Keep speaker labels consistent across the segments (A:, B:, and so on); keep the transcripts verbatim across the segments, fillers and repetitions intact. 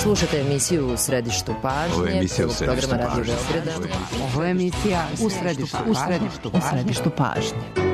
A: Slušajte emisiju U središtu pažnje.
B: Ovo je emisija U središtu pažnje.
A: Ovo je emisija U središtu pažnje. U središtu pažnje.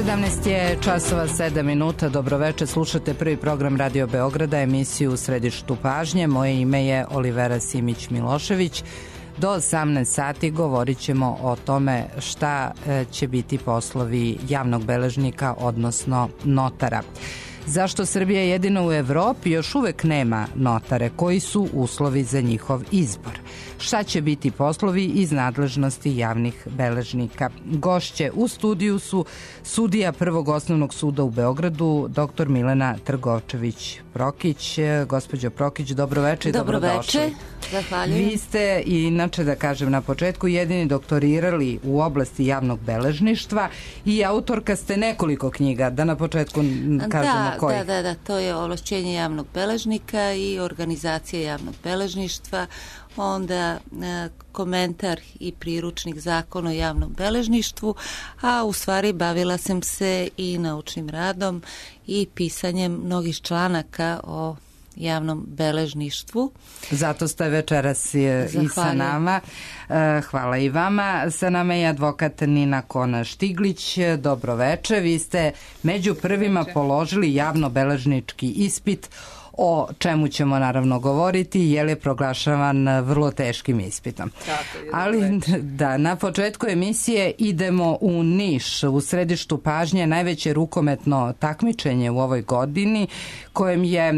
A: sedamnaest je časova sedam minuta. Dobroveče, slušate prvi program Radio Beograda, emisiju U središtu pažnje. Moje ime je Olivera Simić-Milošević. Do osamnaest sati govorit ćemo o tome šta će biti poslovi javnog beležnika, odnosno notara. Zašto Srbija jedina u Evropi još uvek nema notare? Koji su uslovi za njihov izbor? Šta će biti poslovi iz nadležnosti javnih beležnika? Gošće u studiju su sudija Prvog osnovnog suda u Beogradu, doktor Milena Trgovčević-Prokić. Gospođo Prokić, dobroveče i dobrodošli.
C: Dobroveče, zahvaljujem.
A: Vi ste, inače da kažem na početku, jedini doktorirali u oblasti javnog beležništva i autorka ste nekoliko knjiga, da na početku kažemo
C: da,
A: koji.
C: Da, da, da, to je ovlašćenje javnog beležnika i organizacija javnog beležništva, onda e, komentar i priručnik zakona o javnom beležništvu, a u stvari bavila sam se i naučnim radom i pisanjem mnogih članaka o javnom beležništvu.
A: Zato ste večeras i sa nama. Hvala i vama. Sa nama je advokat Nina Kona-Štiglić. Dobroveče. Vi ste među prvima položili javno-beležnički ispit, o čemu ćemo naravno govoriti, jer je proglašavan vrlo teškim ispitom. Ali da, na početku emisije idemo u Niš, u središtu pažnje, najveće rukometno takmičenje u ovoj godini, kojem je e,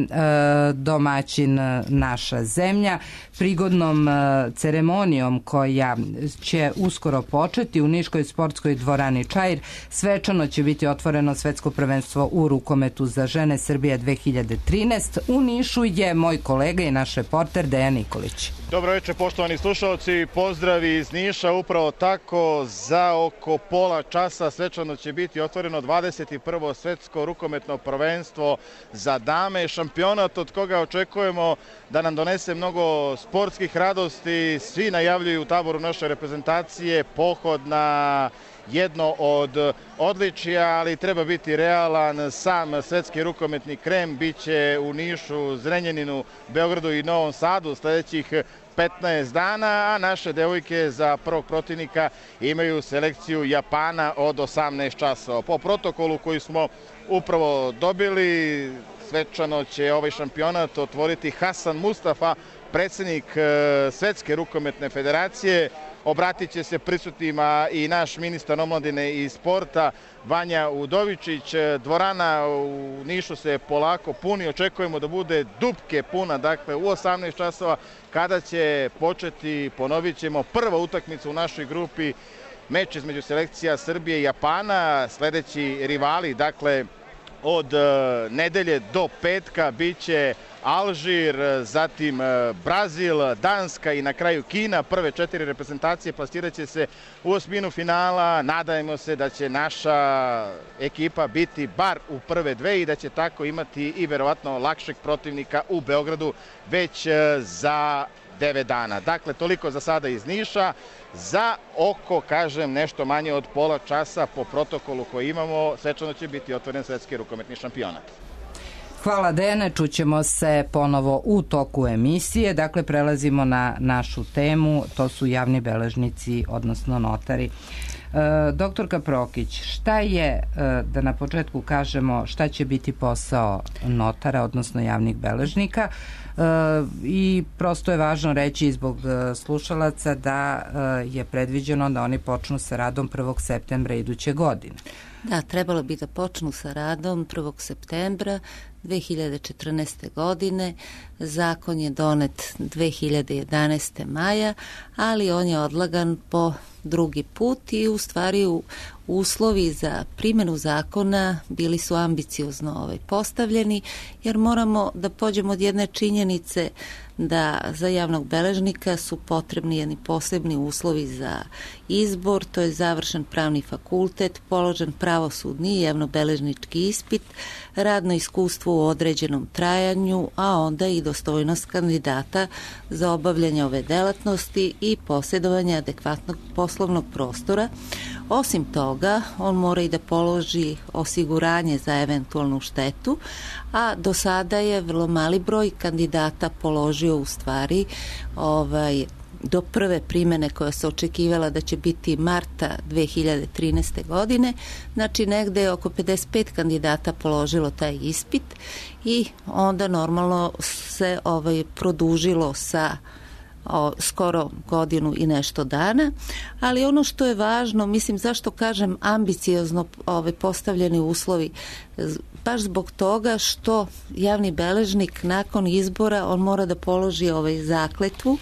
A: domaćin naša zemlja. Prigodnom e, ceremonijom koja će uskoro početi u Niškoj sportskoj dvorani Čair, svečano će biti otvoreno svetsko prvenstvo u rukometu za žene Srbije dve hiljade trinaeste. U Nišu je moj kolega i naš reporter Dejan Nikolić.
D: Dobro večer, poštovani slušalci, pozdravi iz Niša. Upravo tako, za oko pola časa svečano će biti otvoreno dvadeset prvo svetsko rukometno prvenstvo za dame, šampionat od koga očekujemo da nam donese mnogo sportskih radosti. Svi najavljuju u taboru naše reprezentacije pohod na jedno od odličija, ali treba biti realan. Sam svetski rukometni krem biće u Nišu, Zrenjaninu, Beogradu i Novom Sadu sledećih petnaest dana, a naše devojke za prvog protivnika imaju selekciju Japana od osamnaest časova. Po protokolu koji smo upravo dobili, svečano će ovaj šampionat otvoriti Hasan Mustafa, predsjednik Svetske rukometne federacije. Obratit će se prisutnima i naš ministar omladine i sporta Vanja Udovičić. Dvorana u Nišu se polako puni, očekujemo da bude dupke puna, dakle u osamnaest časova kada će početi, ponovit ćemo, prva utakmica u našoj grupi, meč između selekcija Srbije i Japana. Sledeći rivali, dakle od nedelje do petka, biće Alžir, zatim Brazil, Danska i na kraju Kina. Prve četiri reprezentacije plasirat će se u osminu finala. Nadajmo se da će naša ekipa biti bar u prve dve i da će tako imati i verovatno lakšeg protivnika u Beogradu već za devet dana. Dakle, toliko za sada iz Niša. Za oko, kažem, nešto manje od pola časa po protokolu koji imamo, svečano će biti otvoren svetski rukometni šampionat.
A: Hvala Dejane, čućemo se ponovo u toku emisije. Dakle, prelazimo na našu temu, to su javni beležnici, odnosno notari. E, doktorka Prokić, šta je, e, da na početku kažemo, šta će biti posao notara, odnosno javnih beležnika? E, I prosto je važno reći zbog slušalaca da e, je predviđeno da oni počnu sa radom prvog septembra iduće godine.
C: Da, trebalo bi da počnu sa radom prvog septembra dve hiljade četrnaeste. godine. Zakon je donet dve hiljade jedanaeste. maja, ali on je odlagan po drugi put i u stvari u uslovi za primjenu zakona bili su ambiciozno ovaj, postavljeni, jer moramo da pođemo od jedne činjenice da za javnog beležnika su potrebni jedni posebni uslovi za izbor, to je završen pravni fakultet, položen pravosudni i javnobeležnički ispit, radno iskustvo u određenom trajanju, a onda i dostojnost kandidata za obavljanje ove delatnosti i posjedovanje adekvatnog poslovnog prostora. Osim toga, on mora i da položi osiguranje za eventualnu štetu, a do sada je vrlo mali broj kandidata položio u stvari ovaj, do prve primene koja se očekivala da će biti marta dve hiljade trinaeste. godine, znači negde je oko pedeset pet kandidata položilo taj ispit i onda normalno se ovaj, produžilo sa O, skoro godinu i nešto dana, ali ono što je važno, mislim zašto kažem ambiciozno ove postavljeni uslovi, baš zbog toga što javni beležnik nakon izbora on mora da položi ovaj zakletvu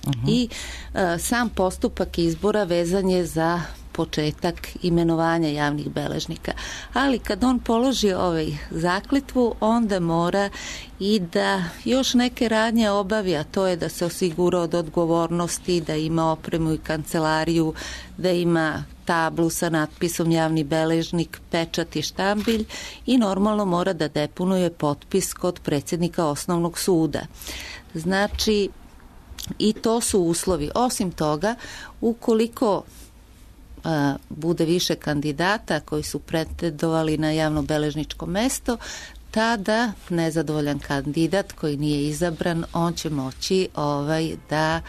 C: uh-huh. i a, sam postupak izbora vezan je za početak imenovanja javnih beležnika. Ali kad on položi ovaj zakletvu, onda mora i da još neke radnje obavi, a to je da se osigura od odgovornosti, da ima opremu i kancelariju, da ima tablu sa natpisom javni beležnik, pečat i štambilj i normalno mora da deponuje potpis kod predsjednika osnovnog suda. Znači, i to su uslovi. Osim toga, ukoliko a, bude više kandidata koji su pretendovali na javnobeležničko mesto, tada nezadovoljan kandidat koji nije izabran, on će moći ovaj, da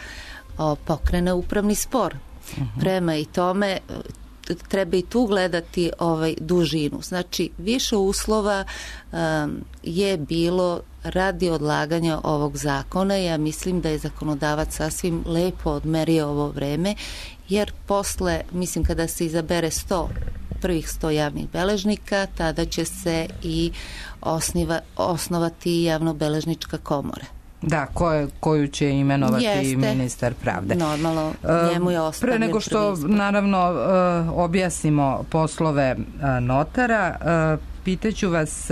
C: o, pokrene upravni spor. Uh-huh. Prema i tome treba i tu gledati ovaj, dužinu. Znači, više uslova um, je bilo radi odlaganja ovog zakona. Ja mislim da je zakonodavac sasvim lepo odmerio ovo vreme, jer posle, mislim, kada se izabere sto prvih sto javnih beležnika, tada će se i osniva, osnovati javnobeležnička komora.
A: Da, koje, koju će imenovati
C: Jeste.
A: ministar pravde.
C: Normalno, njemu je ostavljen
A: Pre nego što, naravno, objasnimo poslove notara, pitaću vas,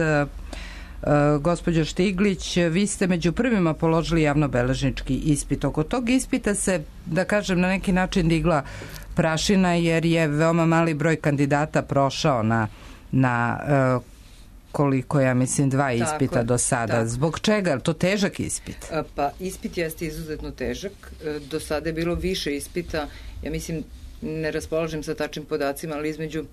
A: gospođo Štiglić, vi ste među prvima položili javnobeležnički ispit. Oko tog ispita se, da kažem, na neki način digla prašina, jer je veoma mali broj kandidata prošao na, na koliko, ja mislim, dva ispita tako, do sada. Tako. Zbog čega? Je to težak ispit?
B: Pa, ispit jeste izuzetno težak. Do sada je bilo više ispita. Ja mislim, ne raspolažem sa tačnim podacima, ali između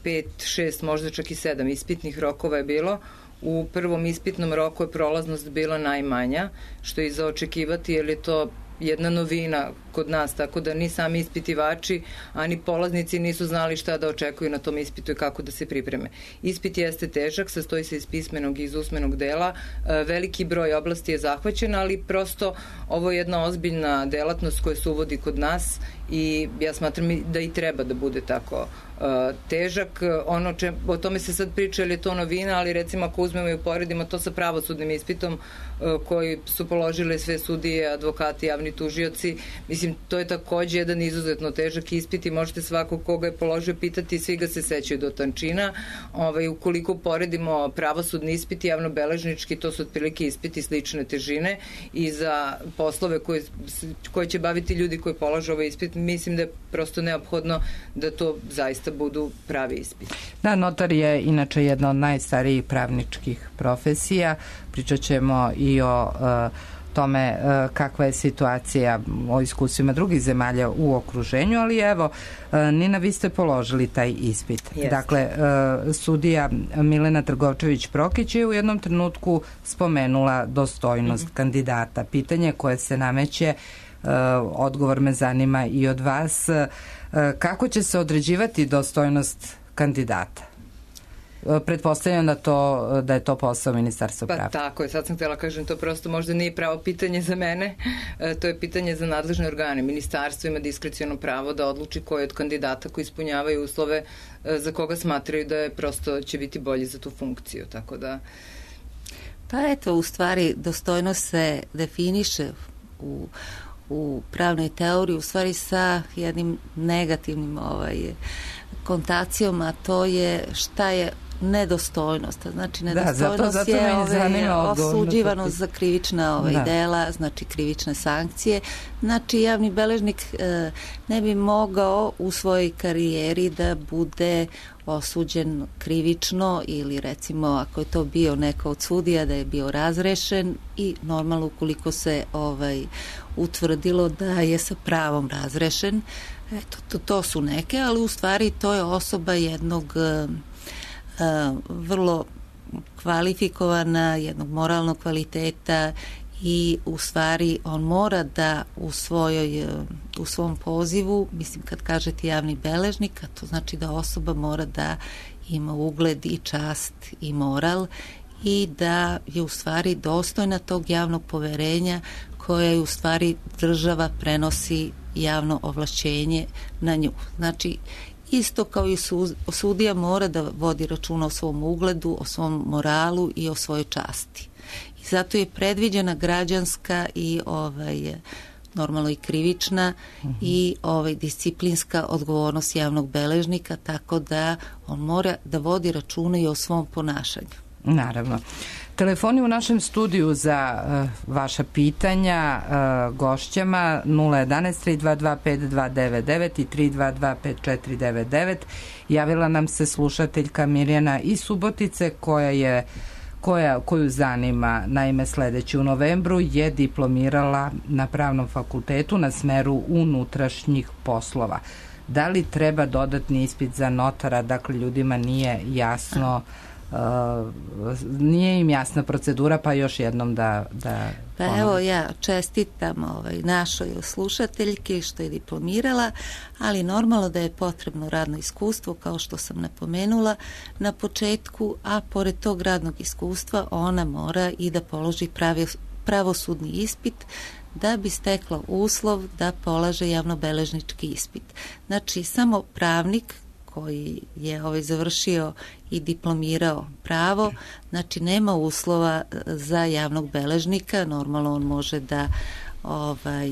B: pet, šest, možda čak i sedam ispitnih rokova je bilo. U prvom ispitnom roku je prolaznost bila najmanja, što je i za očekivati, jer je to jedna novina kod nas, tako da ni sami ispitivači, ani polaznici nisu znali šta da očekuju na tom ispitu i kako da se pripreme. Ispit jeste težak, sastoji se iz pismenog i iz usmenog dela, veliki broj oblasti je zahvaćen, ali prosto ovo je jedna ozbiljna delatnost koja se uvodi kod nas i ja smatram da i treba da bude tako težak. Ono če, o tome se sad priča, ali je to novina, ali recimo ako uzmemo i uporedimo to sa pravosudnim ispitom koji su položile sve sudije, advokati, javni tužioci, mislim, to je takođe jedan izuzetno težak ispit i možete svakog koga je položio pitati, svi ga se sećaju do tančina. Ovaj, ukoliko poredimo pravosudni ispit i javnobeležnički, to su otprilike ispiti slične težine i za poslove koje, koje će baviti ljudi koji polažu ovaj ispit, mislim da je prosto neophodno da to zaista budu pravi ispit.
A: Da, notar je inače jedna od najstarijih pravničkih profesija. Pričat ćemo i o uh, tome kakva je situacija o iskustvima drugih zemalja u okruženju, ali evo, Nina, vi ste položili taj ispit.
B: Jeste.
A: Dakle, sudija Milena Trgovčević-Prokić je u jednom trenutku spomenula dostojnost mm-hmm. kandidata. Pitanje koje se nameće, odgovor me zanima i od vas, kako će se određivati dostojnost kandidata? Pretpostavljam da, to, da je to posao Ministarstva
B: pa,
A: pravde.
B: Pa tako je, sad sam htjela kažem, to prosto možda nije pravo pitanje za mene, e, to je pitanje za nadležne organe. Ministarstvo ima diskreciono pravo da odluči koji od kandidata koji ispunjavaju uslove e, za koga smatraju da je prosto će biti bolji za tu funkciju, tako da...
C: Pa eto, u stvari, dostojnost se definiše u, u pravnoj teoriji, u stvari sa jednim negativnim ovaj, kontacijom, a to je šta je nedostojnost. Znači, nedostojnost da, zato, zato je ove, osuđivanost za krivična ove, da. dela, znači krivične sankcije. Znači, javni beležnik e, ne bi mogao u svojoj karijeri da bude osuđen krivično ili recimo ako je to bio neko od sudija da je bio razrešen i normalno ukoliko se ovaj, utvrdilo da je sa pravom razrešen. Eto, to, to su neke, ali u stvari to je osoba jednog Uh, vrlo kvalifikovana, jednog moralnog kvaliteta i u stvari on mora da u svojoj, u svom pozivu, mislim kad kažete javni beležnik, to znači da osoba mora da ima ugled i čast i moral i da je u stvari dostojna tog javnog poverenja koje u stvari država prenosi javno ovlašćenje na nju. Znači, isto kao i sudija mora da vodi računa o svom ugledu, o svom moralu i o svojoj časti. I zato je predviđena građanska i ovaj, normalno i krivična uh-huh. i ovaj, disciplinska odgovornost javnog beležnika, tako da on mora da vodi računa i o svom ponašanju.
A: Naravno. Telefoni u našem studiju za uh, vaša pitanja uh, gošćama nula jedanaest tri dva dva pet dva devet devet i tri dva dva pet četiri devet devet. Javila nam se slušateljka Mirjana iz Subotice koja je koja, koju zanima, naime sledeći u novembru je diplomirala na Pravnom fakultetu na smeru unutrašnjih poslova. Da li treba dodatni ispit za notara? Dakle, ljudima nije jasno Uh, nije im jasna procedura, pa još jednom da... da
C: pa ponovim. Evo ja čestitam ovaj, našoj slušateljki što je diplomirala, ali normalno da je potrebno radno iskustvo, kao što sam napomenula na početku, a pored tog radnog iskustva ona mora i da položi pravi, pravosudni ispit da bi stekla uslov da polaže javnobeležnički ispit. Znači, samo pravnik koji je ovaj završio i diplomirao pravo, znači nema uslova za javnog beležnika, normalno on može da ovaj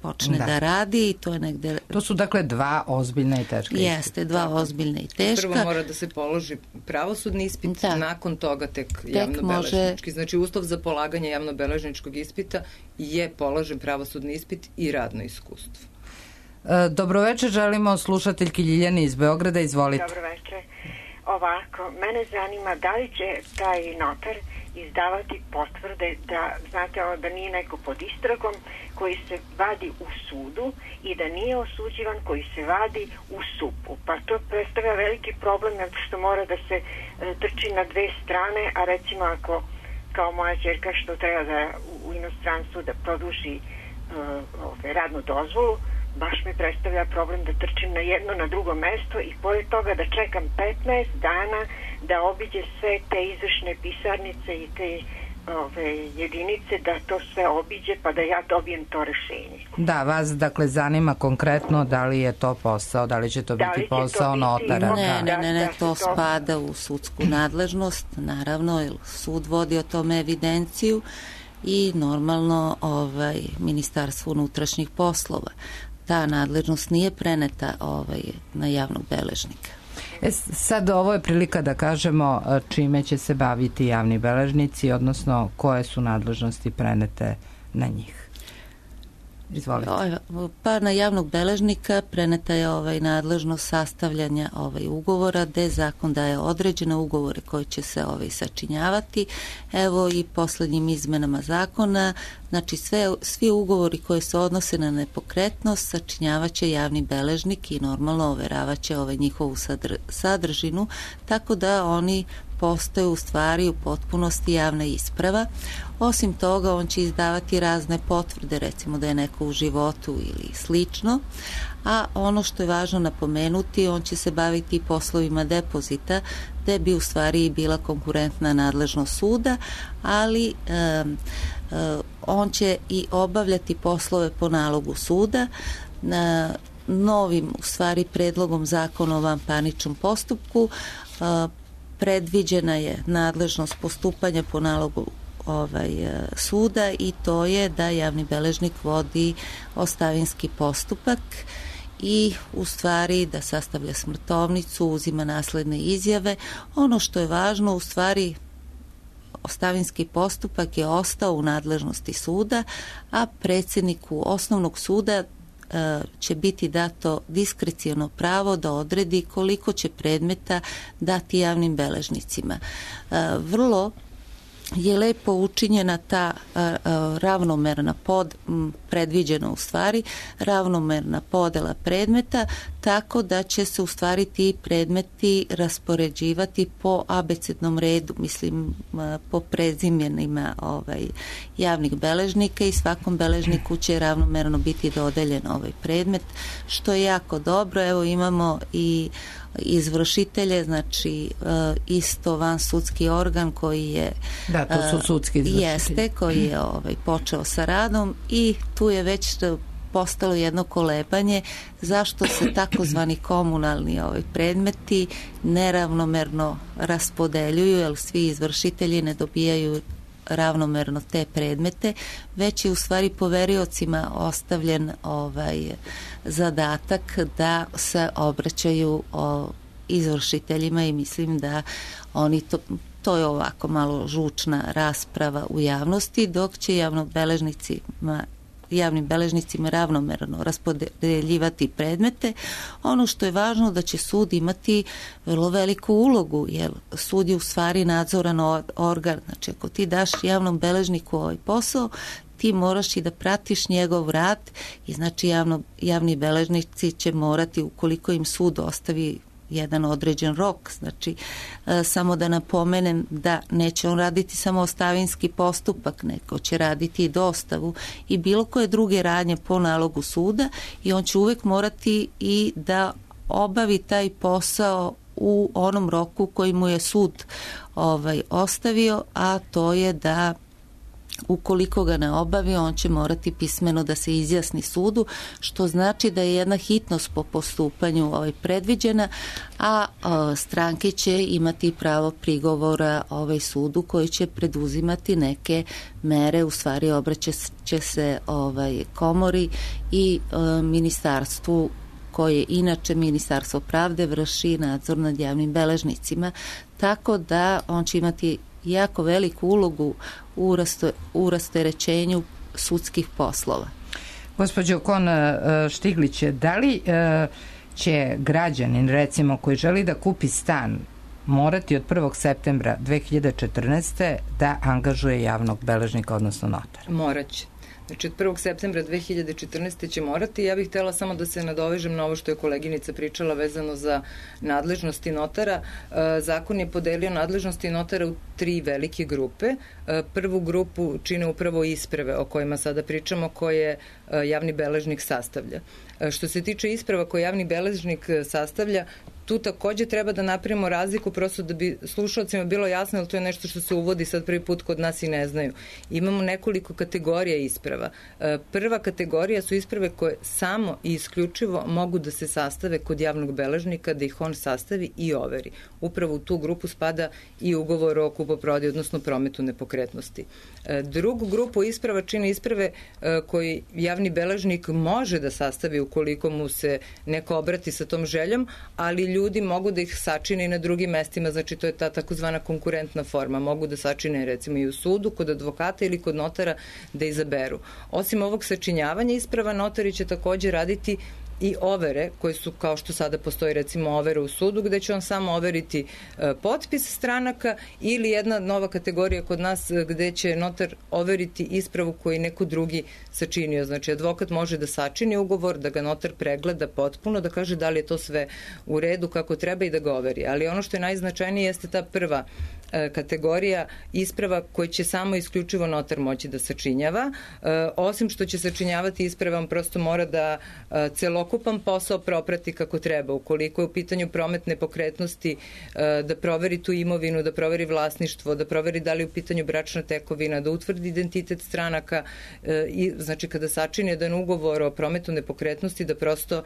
C: počne da, da radi i to je negde...
A: To su dakle dva ozbiljna i teška ispita.
C: Jeste, dva ozbiljna i teška.
B: Prvo mora da se položi pravosudni ispit, da. Nakon toga tek, tek javnobeležnički. Može... Znači uslov za polaganje javnobeležničkog ispita je položen pravosudni ispit i radno iskustvo.
A: Dobroveče, želimo slušateljki Ljiljani iz Beograda, izvolite.
E: Dobroveče. Ovako, mene zanima da li će taj notar izdavati potvrde da, znate, ovo, da nije neko pod istragom koji se vadi u sudu i da nije osuđivan koji se vadi u supu. Pa to predstavlja veliki problem što mora da se e, trči na dve strane, a recimo ako kao moja ćerka što treba da u, u inostranstvu da produži e, ove, radnu dozvolu, baš mi predstavlja problem da trčim na jedno, na drugo mesto i pored toga da čekam petnaest dana da obiđe sve te izvršne pisarnice i te ove, jedinice, da to sve obiđe pa da ja dobijem to rešenje.
A: Da, vas dakle zanima konkretno da li je to posao, da li će to da biti posao to notara?
C: Ne, ne, ne, ne, to spada u sudsku nadležnost, naravno, jer sud vodi o tome evidenciju i normalno ovaj, Ministarstvo unutrašnjih poslova. Ta nadležnost nije preneta ovaj, na javnog beležnika.
A: E, sad ovo je prilika da kažemo čime će se baviti javni beležnici, odnosno koje su nadležnosti prenete na njih. Izvolite.
C: Pa na javnog beležnika preneta je ovaj nadležnost sastavljanja ovaj ugovora, gde zakon daje određene ugovore koji će se ovaj sačinjavati. Evo i poslednjim izmenama zakona, znači sve, svi ugovori koji se odnose na nepokretnost sačinjavaće javni beležnik i normalno overavaće ovaj njihovu sadr, sadržinu, tako da oni postaju u stvari u potpunosti javna isprava. Osim toga, on će izdavati razne potvrde, recimo da je neko u životu ili slično, a ono što je važno napomenuti, on će se baviti poslovima depozita, gde bi u stvari bila konkurentna nadležnost suda, ali um, um, on će i obavljati poslove po nalogu suda. Na novim, u stvari, predlogom zakona o vanparničnom postupku uh, predviđena je nadležnost postupanja po nalogu ovaj suda i to je da javni beležnik vodi ostavinski postupak i u stvari da sastavlja smrtovnicu, uzima nasledne izjave. Ono što je važno, u stvari ostavinski postupak je ostao u nadležnosti suda, a predsjedniku osnovnog suda će biti dato diskreciono pravo da odredi koliko će predmeta dati javnim beležnicima. Vrlo je lepo učinjena ta ravnomerna pod, predviđena u stvari, ravnomerna podela predmeta, tako da će se u stvari ti predmeti raspoređivati po abecednom redu, mislim po prezimenima ovaj, javnih beležnika i svakom beležniku će ravnomerno biti dodeljen ovaj predmet, što je jako dobro. Evo imamo i izvršitelje, znači isto van sudski organ koji je
A: da, to su sudski izvršitelji.
C: Jeste, koji je ovaj, počeo sa radom i tu je već postalo jedno kolebanje zašto se takozvani komunalni ovaj, predmeti neravnomerno raspodeljuju, jer svi izvršitelji ne dobijaju ravnomerno te predmete, već je u stvari poveriocima ostavljen ovaj zadatak da se obraćaju o izvršiteljima i mislim da oni to, to je ovako malo žučna rasprava u javnosti, dok će javnobeležnicima javnim beležnicima ravnomerno raspodeljivati predmete. Ono što je važno da će sud imati vrlo veliku ulogu, jer sud je u stvari nadzoran organ. Znači, ako ti daš javnom beležniku ovaj posao, ti moraš i da pratiš njegov rad i znači javno, javni beležnici će morati, ukoliko im sud ostavi jedan određen rok, znači e, samo da napomenem da neće on raditi samo ostavinski postupak, neko će raditi i dostavu i bilo koje druge radnje po nalogu suda i on će uvek morati i da obavi taj posao u onom roku koji mu je sud ovaj, ostavio, a to je da ukoliko ga ne obavi, on će morati pismeno da se izjasni sudu, što znači da je jedna hitnost po postupanju ovaj predviđena, a o, stranke će imati pravo prigovora ovaj sudu koji će preduzimati neke mere, u stvari obraćaće se ovaj komori i o, ministarstvu koje inače Ministarstvo pravde vrši nadzor nad javnim beležnicima, tako da on će imati jako veliku ulogu u, rasto, u rasterećenju sudskih poslova.
A: Gospođo Kon Štiglić, da li će građanin, recimo, koji želi da kupi stan, morati od prvog septembra dve hiljade četrnaeste. da angažuje javnog beležnika, odnosno notara?
B: Moraće. Znači, od prvog septembra dve hiljade četrnaeste. će morati. Ja bih htela samo da se nadovežem na ovo što je koleginica pričala vezano za nadležnosti notara. Zakon je podelio nadležnosti notara u tri velike grupe. Prvu grupu čine upravo isprave o kojima sada pričamo, koje javni beležnik sastavlja. Što se tiče isprava koje javni beležnik sastavlja, tu takođe treba da napravimo razliku, prosto da bi slušalcima bilo jasno, jer to je nešto što se uvodi sad prvi put kod nas i ne znaju. Imamo nekoliko kategorija isprava. Prva kategorija su isprave koje samo i isključivo mogu da se sastave kod javnog beležnika, da ih on sastavi i overi. Upravo u tu grupu spada i ugovor o kupoprodaji, odnosno prometu nepokretnosti. Drugu grupu isprava čine isprave koji javni beležnik može da sastavi ukoliko mu se neko obrati sa tom željom, ali ljudi mogu da ih sačine i na drugim mestima, znači to je ta takozvana konkurentna forma. Mogu da sačine recimo i u sudu, kod advokata ili kod notara da izaberu. Osim ovog sačinjavanja isprava, notari će takođe raditi i overe koje su, kao što sada postoji recimo overe u sudu, gde će on samo overiti e, potpis stranaka, ili jedna nova kategorija kod nas gde će notar overiti ispravu koju neko drugi sačinio. Znači advokat može da sačini ugovor, da ga notar pregleda potpuno, da kaže da li je to sve u redu kako treba i da ga overi. Ali ono što je najznačajnije jeste ta prva e, kategorija isprava koje će samo isključivo notar moći da sačinjava. E, osim što će sačinjavati isprave, on prosto mora da e, celo ukupan posao proprati kako treba. Ukoliko je u pitanju promet nepokretnosti, da proveri tu imovinu, da proveri vlasništvo, da proveri da li je u pitanju bračna tekovina, da utvrdi identitet stranaka i znači kada sačini jedan ugovor o prometu nepokretnosti, da prosto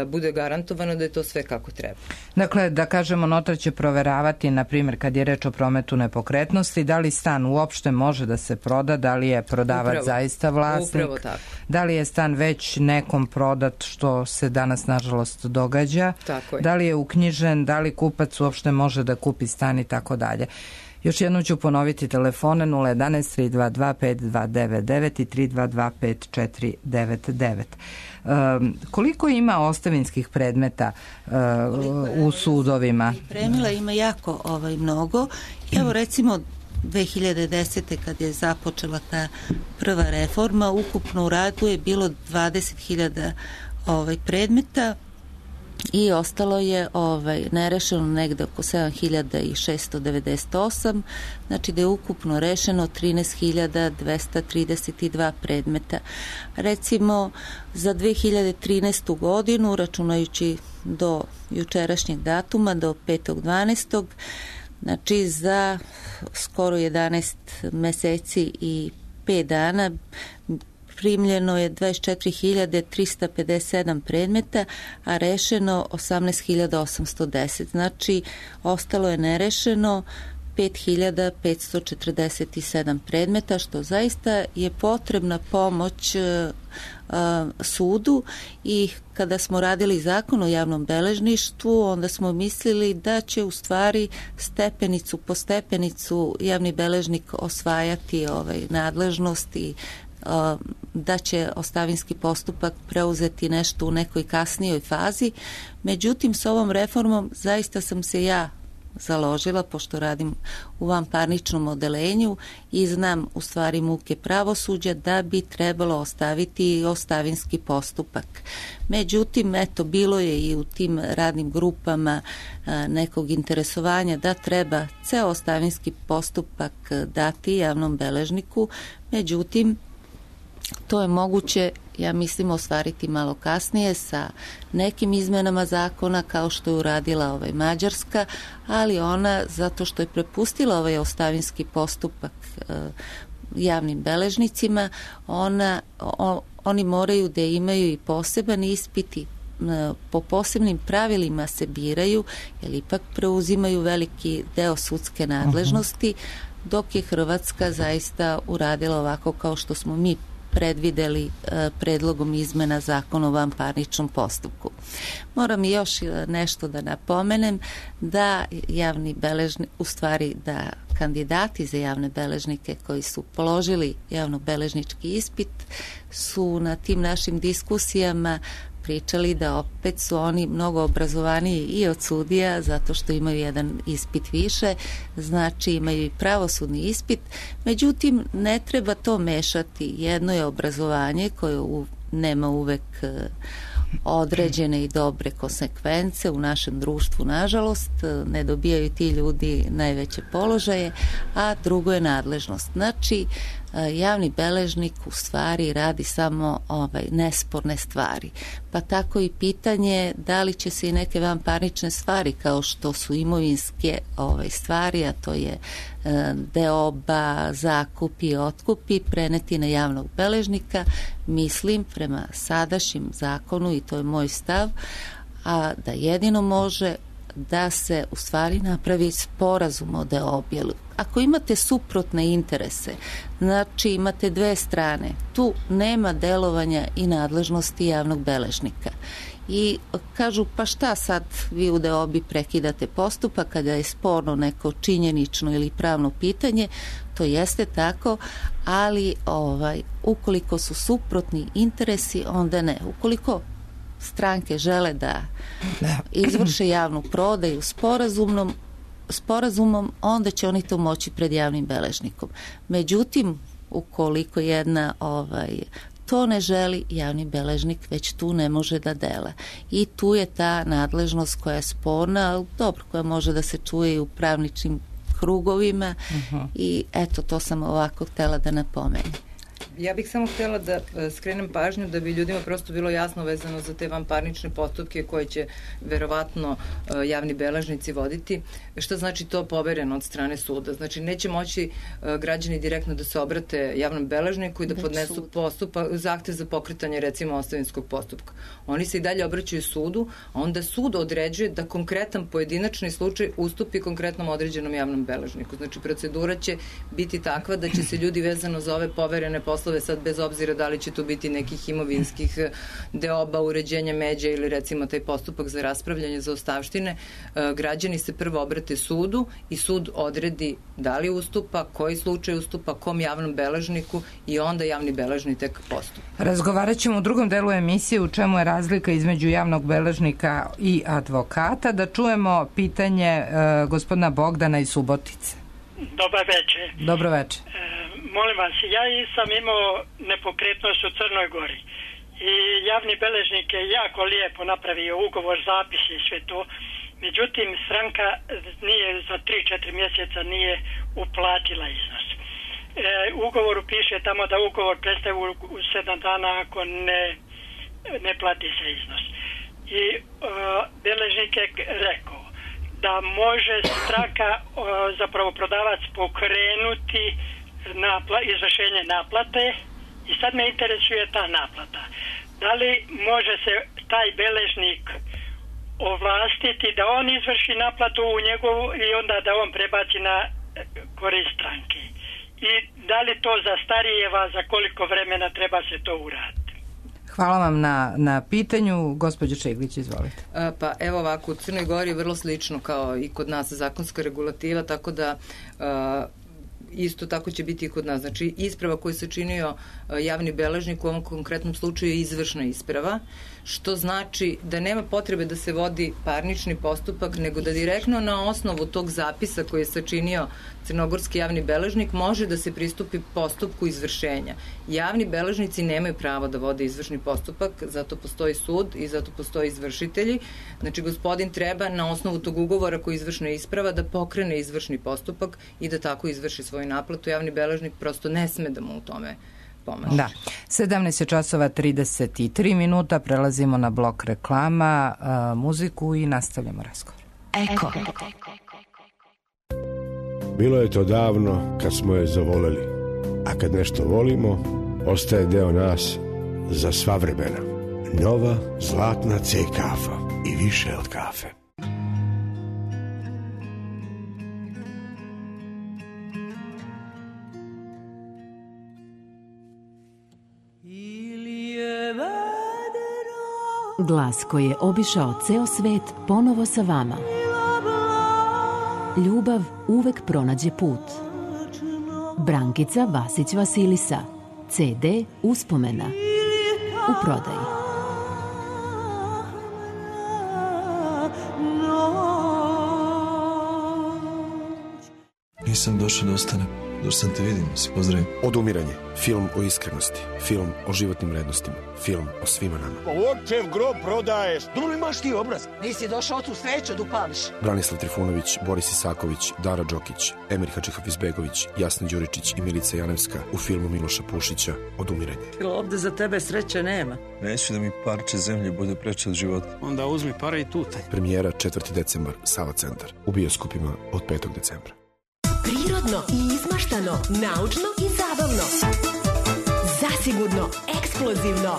B: bude garantovano da je to sve kako treba.
A: Dakle, da kažemo, notar će proveravati, na primjer, kad je reč o prometu nepokretnosti, da li stan uopšte može da se proda, da li je prodavac upravo, zaista vlasnik, da li je stan već nekom prodat, što se danas nažalost događa, da li je uknjižen, da li kupac uopšte može da kupi stan i tako dalje. Još jednom ću ponoviti telefone nula jedanaest tri dva dva pet dva devet devet i tri dva dva pet četiri devet devet. Um, koliko ima ostavinskih predmeta uh, u sudovima?
C: Pripremila ima jako ovaj, mnogo. Evo recimo dve hiljade desete. kad je započela ta prva reforma, ukupno u radu je bilo dvadeset hiljada ovaj, predmeta i ostalo je ovaj, nerešeno negde oko sedam hiljada šeststo devedeset osam, znači da je ukupno rešeno trinaest hiljada dvesta trideset dva predmeta. Recimo za dve hiljade trinaestu. godinu, računajući do jučerašnjeg datuma, do petog dvanaestog, znači za skoro jedanaest meseci i pet dana primljeno je dvadeset četiri hiljade trista pedeset sedam predmeta, a rešeno osamnaest hiljada osamsto deset. Znači, ostalo je nerešeno pet hiljada petsto četrdeset sedam predmeta, što zaista je potrebna pomoć a, sudu, i kada smo radili zakon o javnom beležništvu, onda smo mislili da će u stvari stepenicu po stepenicu javni beležnik osvajati ovaj, nadležnost i da će ostavinski postupak preuzeti nešto u nekoj kasnijoj fazi. Međutim, s ovom reformom zaista sam se ja založila, pošto radim u vanparničnom odelenju i znam u stvari muke pravosuđa, da bi trebalo ostaviti ostavinski postupak. Međutim, eto, bilo je i u tim radnim grupama a, nekog interesovanja da treba ceo ostavinski postupak dati javnom beležniku. Međutim, to je moguće, ja mislim, ostvariti malo kasnije sa nekim izmenama zakona, kao što je uradila ovaj Mađarska, ali ona, zato što je prepustila ovaj ostavinski postupak e, javnim beležnicima, ona, o, oni moraju da imaju i poseban ispit, i po posebnim pravilima se biraju, jer ipak preuzimaju veliki deo sudske nadležnosti, dok je Hrvatska zaista uradila ovako kao što smo mi predvideli e, predlogom izmena zakona o vanparničnom postupku. Moram još nešto da napomenem, da javni beležnik, u stvari da kandidati za javne beležnike koji su položili javnobeležnički ispit su na tim našim diskusijama pričali da opet su oni mnogo obrazovaniji i od sudija, zato što imaju jedan ispit više, znači imaju i pravosudni ispit. Međutim, ne treba to mešati. Jedno je obrazovanje koje u, nema uvek određene i dobre konsekvence u našem društvu, nažalost, ne dobijaju ti ljudi najveće položaje, a drugo je nadležnost. Znači, javni beležnik u stvari radi samo ovaj, nesporne stvari. Pa tako i pitanje da li će se i neke vanparnične stvari, kao što su imovinske ovaj, stvari, a to je e, deoba, zakupi, otkupi, preneti na javnog beležnika. Mislim, prema sadašnjem zakonu, i to je moj stav, a da jedino može da se u stvari napravi sporazum o deobi. Ako imate suprotne interese, znači imate dve strane, tu nema delovanja i nadležnosti javnog beležnika. I kažu, pa šta sad vi u deobi prekidate postupak kada je sporno neko činjenično ili pravno pitanje, to jeste tako, ali ovaj, ukoliko su suprotni interesi, onda ne. Ukoliko stranke žele da izvrše javnu prodaju sporazumnom, sporazumom, onda će oni to moći pred javnim beležnikom. Međutim, ukoliko jedna ovaj, to ne želi, javni beležnik već tu ne može da dela. I tu je ta nadležnost koja je sporna, dobro, koja može da se čuje i u pravničnim krugovima uh-huh. i eto, to sam ovako htela da napomenem.
B: Ja bih samo htjela da skrenem pažnju da bi ljudima prosto bilo jasno vezano za te vanparnične postupke koje će verovatno javni beležnici voditi. Šta znači to povereno od strane suda? Znači neće moći građani direktno da se obrate javnom beležniku i da podnesu postupak, zahtev za pokretanje recimo ostavinskog postupka. Oni se i dalje obraćaju sudu, a onda sud određuje da konkretan pojedinačni slučaj ustupi konkretnom određenom javnom beležniku. Znači procedura će biti takva da će se ljudi vezano za ove poverene poslove, sad bez obzira da li će tu biti nekih imovinskih deoba, uređenja međa ili recimo taj postupak za raspravljanje za ostavštine, građani se prvo obrate sudu i sud odredi da li ustupa, koji slučaj ustupa, kom javnom beležniku i onda javni beležnik tek postupa.
A: Razgovarat ćemo u drugom delu emisije u čemu je razlika između javnog beležnika i advokata. Da čujemo pitanje uh, gospodina Bogdana iz Subotice.
F: Dobar večer.
A: Dobro večer.
F: E, molim vas, ja sam imao nepokretnost u Crnoj Gori i javni beležnik je jako lijepo napravio ugovor, zapis i sve to. Međutim, stranka nije za tri četiri mjeseca nije uplatila iznos. E, u ugovoru piše tamo da ugovor prestaje u, u sedam dana ako ne, ne plati se iznos. I e, beležnik je rekao da može stranka, e, zapravo prodavac, pokrenuti napla, izvršenje naplate i sad me interesuje ta naplata. Da li može se taj beležnik ovlastiti da on izvrši naplatu u njegovu i onda da on prebaci na korist stranke? I da li to zastarijeva, za koliko vremena treba se to uraditi?
A: Hvala vam na, na pitanju. Gospođo Čeglić, izvolite.
B: A, pa evo ovako, u Crnoj Gori je vrlo slično kao i kod nas zakonska regulativa, tako da a, isto tako će biti i kod nas. Znači, isprava koju se činio javni beležnik u ovom konkretnom slučaju je izvršna isprava, što znači da nema potrebe da se vodi parnični postupak, nego da direktno na osnovu tog zapisa koji je sačinio crnogorski javni beležnik može da se pristupi postupku izvršenja. Javni beležnici nemaju pravo da vode izvršni postupak, zato postoji sud i zato postoji izvršitelji. Znači, gospodin treba na osnovu tog ugovora koji je izvršna isprava da pokrene izvršni postupak i da tako izvrši svoju naplatu. Javni beležnik prosto ne sme da mu u tome pomaže.
A: Da. sedamnaest časova trideset tri minuta, prelazimo na blok reklama, a, muziku i nastavljamo razgovor.
G: Eko.
H: Bilo je to davno kad smo je zavoleli, a kad nešto volimo, ostaje deo nas za sva vremena. Nova zlatna C kafa i više od kafe.
G: Glas koji je obišao ceo svet ponovo sa vama. Ljubav uvek pronađe put. Brankica Vasić Vasilisa. ce de Uspomena. U prodaji.
I: Nisam došao da ostanem. Došao sam te vidim, si pozdravim.
H: Odumiranje. Film o iskrenosti. Film o životnim vrednostima. Film o svima nama.
J: Očev grob prodaješ.
K: Dobro imaš ti obraz. Nisi došao tu sreću da upališ.
H: Branislav Trifunović, Boris Isaković, Dara Đokić, Emir Hadžihafizdbegović, Jasna Đuričić i Milica Janevska u filmu Miloša Pušića Odumiranje.
K: Ovde za tebe sreće nema.
I: Neću da mi parče zemlje bude preče od života.
J: Onda uzmi pare i tutaj.
H: Premijera četvrti decembar, Sava centar. U bioskopima od petog decembra.
L: Prirodno i izmaštano, naučno i zabavno. Zasigurno, eksplozivno.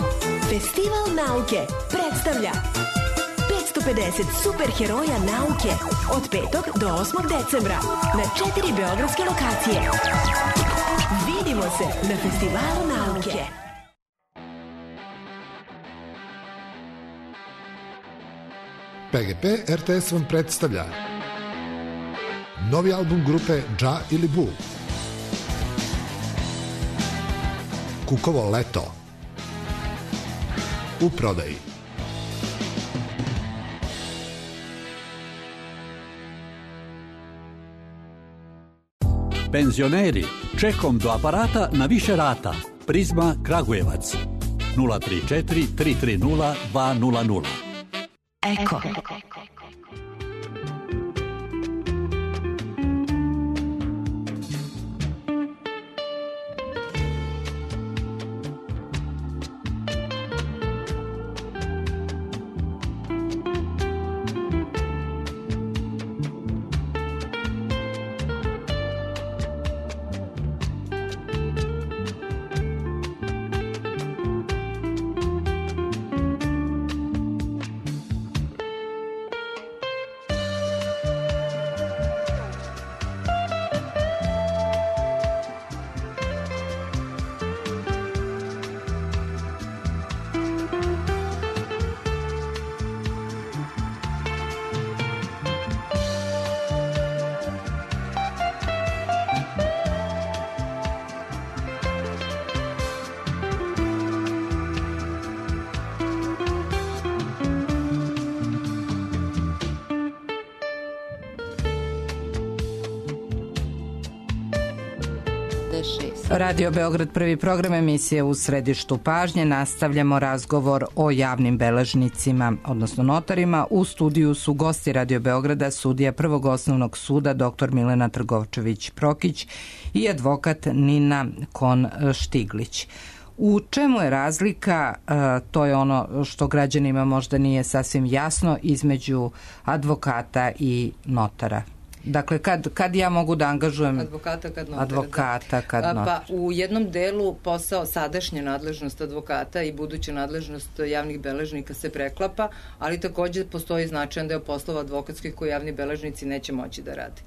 L: Festival nauke predstavlja dvesta pedeset superheroja nauke od petog do osmog decembra na četiri beogradske lokacije. Vidimo se na Festivalu nauke.
M: P G P R T S vam predstavlja novi album grupe Dža ili Bu, Kukovo leto, u prodaji.
N: Penzioneri, čekom do aparata na više rata. Prizma Kragujevac. nula tri četiri tri tri nula dva nula nula.
L: Eko.
A: Radio Beograd, prvi program emisije U središtu pažnje. Nastavljamo razgovor o javnim beležnicima, odnosno notarima. U studiju su gosti Radio Beograda, sudija Prvog osnovnog suda dr Milena Trgovčević-Prokić i advokat Nina Kon-Štiglić. U čemu je razlika, to je ono što građanima možda nije sasvim jasno, između advokata i notara? Dakle, kad, kad ja mogu da angažujem
B: advokata, kad notara.
A: Advokata, kad notara.
B: Pa u jednom delu posao, sadašnja nadležnost advokata i buduća nadležnost javnih beležnika se preklapa, ali takođe postoji značajan deo poslova advokatskih koji javni beležnici neće moći da rade.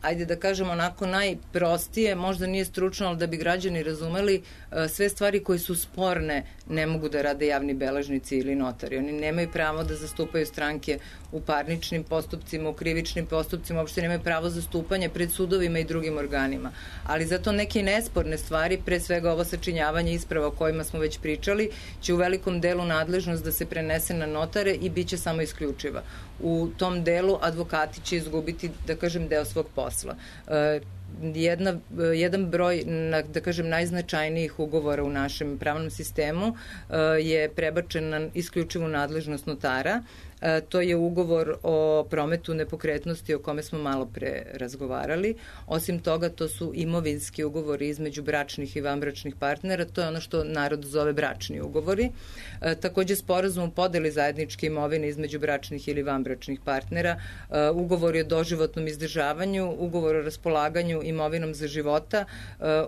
B: Ajde da kažemo onako najprostije, možda nije stručno, ali da bi građani razumeli, sve stvari koje su sporne ne mogu da rade javni beležnici ili notari. Oni nemaju pravo da zastupaju stranke u parničnim postupcima, u krivičnim postupcima, uopšte nemaju pravo zastupanja pred sudovima i drugim organima. Ali zato neke nesporne stvari, pre svega ovo sačinjavanje isprava o kojima smo već pričali, će u velikom delu nadležnost da se prenese na notare i bit će samo isključiva. U tom delu advokati će izgubiti, da kažem, deo svog posla. Jedna, jedan broj, da kažem, najznačajnijih ugovora u našem pravnom sistemu je prebačen na isključivu nadležnost notara. To je ugovor o prometu nepokretnosti o kome smo malo pre razgovarali. Osim toga, to su imovinski ugovori između bračnih i vanbračnih partnera. To je ono što narod zove bračni ugovori. Takođe, sporazum o podeli zajedničke imovine između bračnih ili vanbračnih partnera, ugovori o doživotnom izdržavanju, ugovor o raspolaganju imovinom za života,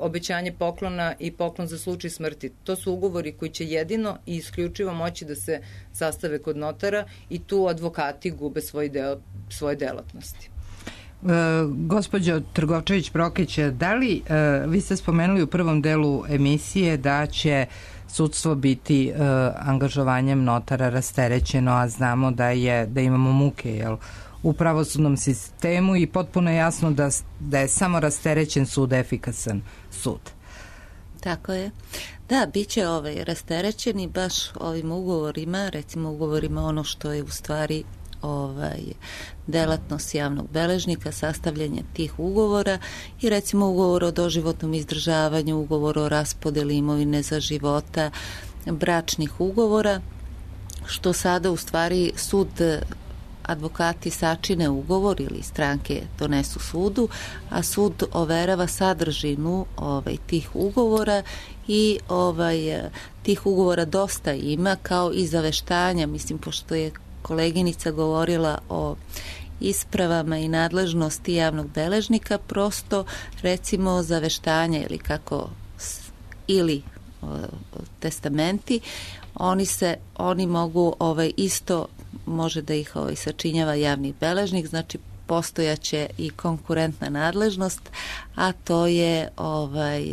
B: obećanje poklona i poklon za slučaj smrti. To su ugovori koji će jedino i isključivo moći da se sastave kod notara i tu advokati gube svoj deo, svoje delatnosti.
A: E, gospođo Trgovčević-Prokić, da li, e, vi ste spomenuli u prvom delu emisije da će sudstvo biti e, angažovanjem notara rasterećeno, a znamo da je da imamo muke, jel, u pravosudnom sistemu i potpuno je jasno da, da je samo rasterećen sud efikasan sud.
C: Tako je. Da, bit će ovaj rasterećeni baš ovim ugovorima, recimo ugovorima ono što je u stvari ovaj, delatnost javnog beležnika, sastavljanje tih ugovora i recimo ugovor o doživotnom izdržavanju, ugovor o raspodeli imovine za života, bračnih ugovora, što sada u stvari sud, advokati sačine ugovor ili stranke donesu sudu, a sud overava sadržinu ovaj, tih ugovora i ovaj, tih ugovora dosta ima, kao i zaveštanja, mislim, pošto je koleginica govorila o ispravama i nadležnosti javnog beležnika, prosto recimo zaveštanja ili kako ili o, testamenti, oni se oni mogu ovaj isto može da ih ovaj, sačinjava javni beležnik, znači postojaće i konkurentna nadležnost, a to je ovaj,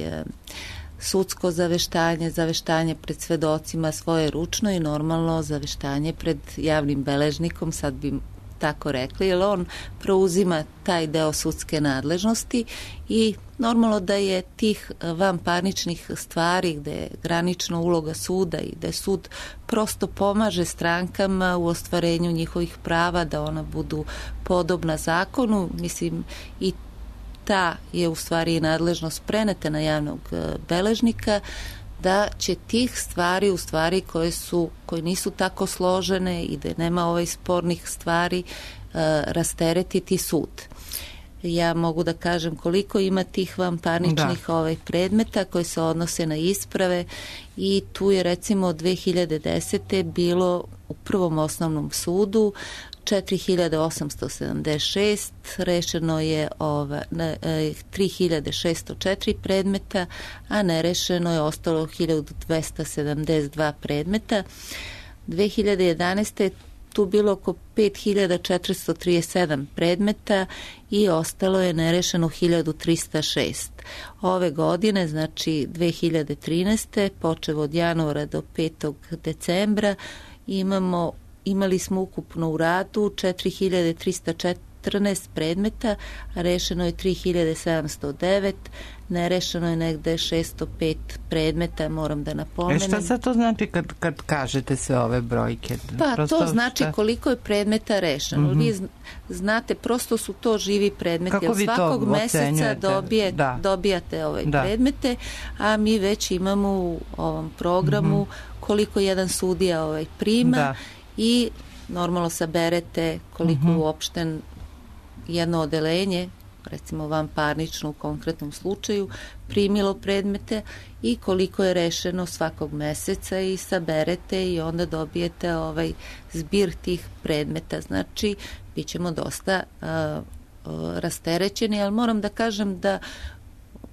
C: sudsko zaveštanje, zaveštanje pred svedocima svoje ručno i normalno zaveštanje pred javnim beležnikom, sad bi tako rekli, jer on preuzima taj deo sudske nadležnosti i normalno da je tih vanparničnih stvari gde je granična uloga suda i da sud prosto pomaže strankama u ostvarenju njihovih prava, da ona budu podobna zakonu, mislim i ta je u stvari nadležnost preneta na javnog beležnika, da će tih stvari u stvari koje su koje nisu tako složene i da nema ovaj spornih stvari uh, rasteretiti sud. Ja mogu da kažem koliko ima tih vanparničnih da. ovaj predmeta koji se odnose na isprave i tu je recimo dve hiljade desete bilo u prvom osnovnom sudu četiri hiljade osamsto sedamdeset šest, rešeno je ova, tri hiljade šesto četiri predmeta, a nerešeno je ostalo hiljadu dvesta sedamdeset dva predmeta. dve hiljade jedanaeste tu bilo oko pet hiljada četiristo trideset sedam predmeta i ostalo je nerešeno hiljadu trista šest. Ove godine, znači dve hiljade trinaeste, počev od januara do petog decembra, imamo imali smo ukupno u radu četiri hiljade trista četrnaest predmeta, a rešeno je tri hiljade sedamsto devet, nerešeno je negde šesto pet predmeta, moram da napomenem.
A: E šta sad to znači kad, kad kažete sve ove brojke?
C: Pa
A: prosto
C: to znači
A: šta?
C: Koliko je predmeta rešeno. Mm-hmm. Vi znate, prosto su to živi predmeti.
A: Kako vi
C: svakog
A: to
C: meseca dobije, da. dobijate ove da. predmete, a mi već imamo u ovom programu mm-hmm. koliko jedan sudija ovaj prima da. i normalno saberete koliko mm-hmm. uopšte jedno odelenje, recimo vanparnično u konkretnom slučaju, primilo predmete i koliko je rešeno svakog meseca i saberete i onda dobijete ovaj zbir tih predmeta. Znači, bit ćemo dosta uh, uh, rasterećeni, ali moram da kažem da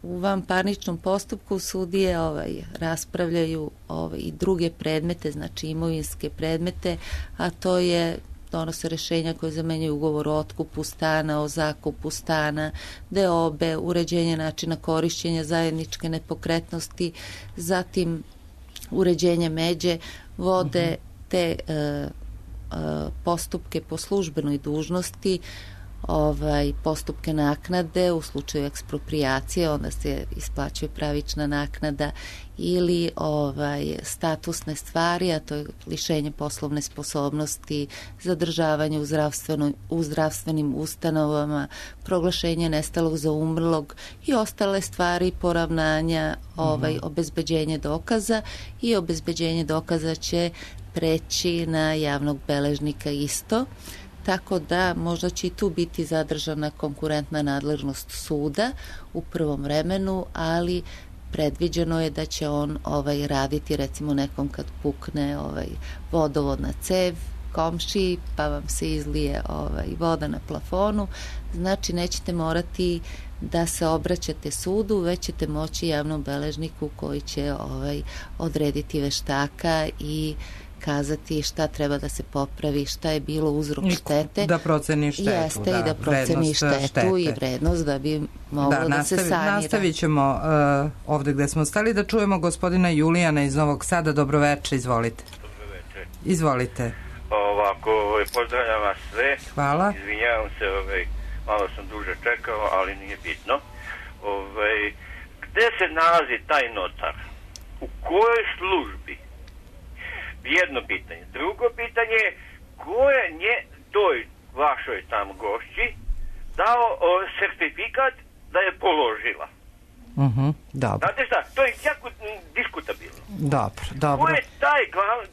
C: u vanparničnom postupku sudije ovaj, raspravljaju ovaj, i druge predmete, znači imovinske predmete, a to je donose rešenja koje zamenjaju ugovor o otkupu stana, o zakupu stana, deobe, uređenje načina korišćenja zajedničke nepokretnosti, zatim uređenje međe, vode uh-huh. te uh, uh, postupke po službenoj dužnosti, ovaj, postupke naknade u slučaju eksproprijacije, onda se isplaćuje pravična naknada ili ovaj, statusne stvari, a to je lišenje poslovne sposobnosti, zadržavanje u, u zdravstvenim ustanovama, proglašenje nestalog za umrlog i ostale stvari, poravnanja, ovaj, mm-hmm. obezbeđenje dokaza i obezbeđenje dokaza će preći na javnog beležnika isto. Tako da možda će i tu biti zadržana konkurentna nadležnost suda u prvom vremenu, ali predviđeno je da će on ovaj raditi recimo nekom kad pukne ovaj vodovodna cev komšiji pa vam se izlije ovaj voda na plafonu, znači nećete morati da se obraćate sudu, već ćete moći javnom beležniku koji će ovaj odrediti veštaka i kazati šta treba da se popravi, šta je bilo uzrok štete.
A: Da proceni štetu.
C: Jeste
A: da,
C: i da proceni štetu štete. I vrednost da bi moglo da, da nastavi, se sanira.
A: Nastavit ćemo uh, ovde gde smo stali da čujemo gospodina Julijana iz Novog Sada. Dobroveče, izvolite.
O: Dobroveče.
A: Izvolite.
O: Ovako, pozdravljam vas sve.
A: Hvala.
O: Izvinjavam se, ovaj, malo sam duže čekao, ali nije bitno. Ovaj, gde se nalazi taj notar? U kojoj službi? Jedno pitanje. Drugo pitanje je ko je nje toj vašoj tamo gošći dao o, sertifikat da je položila.
A: Uh-huh, dobro.
O: Znate šta, to je jako diskutabilno.
A: Dobro, dobro.
O: Ko je taj,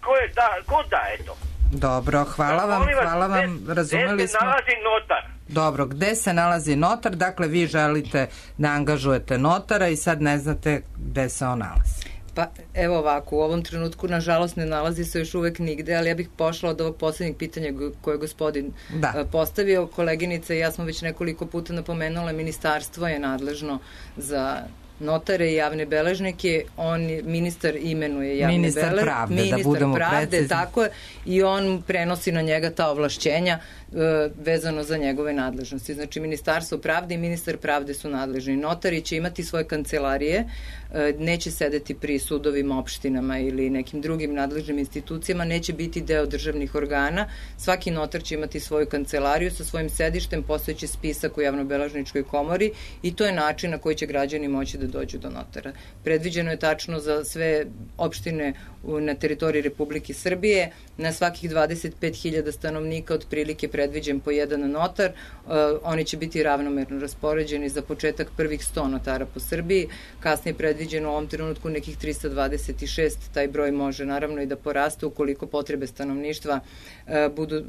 O: ko je da, ko daje to?
A: Dobro, hvala vam,
O: vas,
A: hvala vam,
O: gde,
A: razumeli
O: gde se
A: smo.
O: nalazi notar?
A: Dobro, gde se nalazi notar? Dakle, vi želite da angažujete notara i sad ne znate gde se on nalazi.
B: Pa evo ovako, u ovom trenutku nažalost ne nalazi se još uvek nigde, ali ja bih pošla od ovog poslednjeg pitanja koje je gospodin da. postavio. Koleginica i ja smo već nekoliko puta napomenula, ministarstvo je nadležno za notare i javne beležnike, on, ministar imenuje javne
A: ministar
B: beležnike.
A: Pravde,
B: ministar
A: da budemo
B: pravde,
A: precizni.
B: tako je, i on prenosi na njega ta ovlašćenja e, vezano za njegove nadležnosti. Znači, Ministarstvo pravde i ministar pravde su nadležni. Notari će imati svoje kancelarije, e, neće sedeti pri sudovima, opštinama ili nekim drugim nadležnim institucijama, neće biti deo državnih organa. Svaki notar će imati svoju kancelariju sa svojim sedištem, postojeći spisak u javnobeležničkoj komori i to je način na koji će građani moći da dođu do notara. Predviđeno je tačno za sve opštine na teritoriji Republike Srbije, na svakih dvadeset pet hiljada stanovnika otprilike predviđen po jedan notar. Uh, oni će biti ravnomerno raspoređeni, za početak prvih sto notara po Srbiji, kasnije predviđeno u ovom trenutku nekih trista dvadeset šest, taj broj može naravno i da poraste ukoliko potrebe stanovništva uh, budu uh,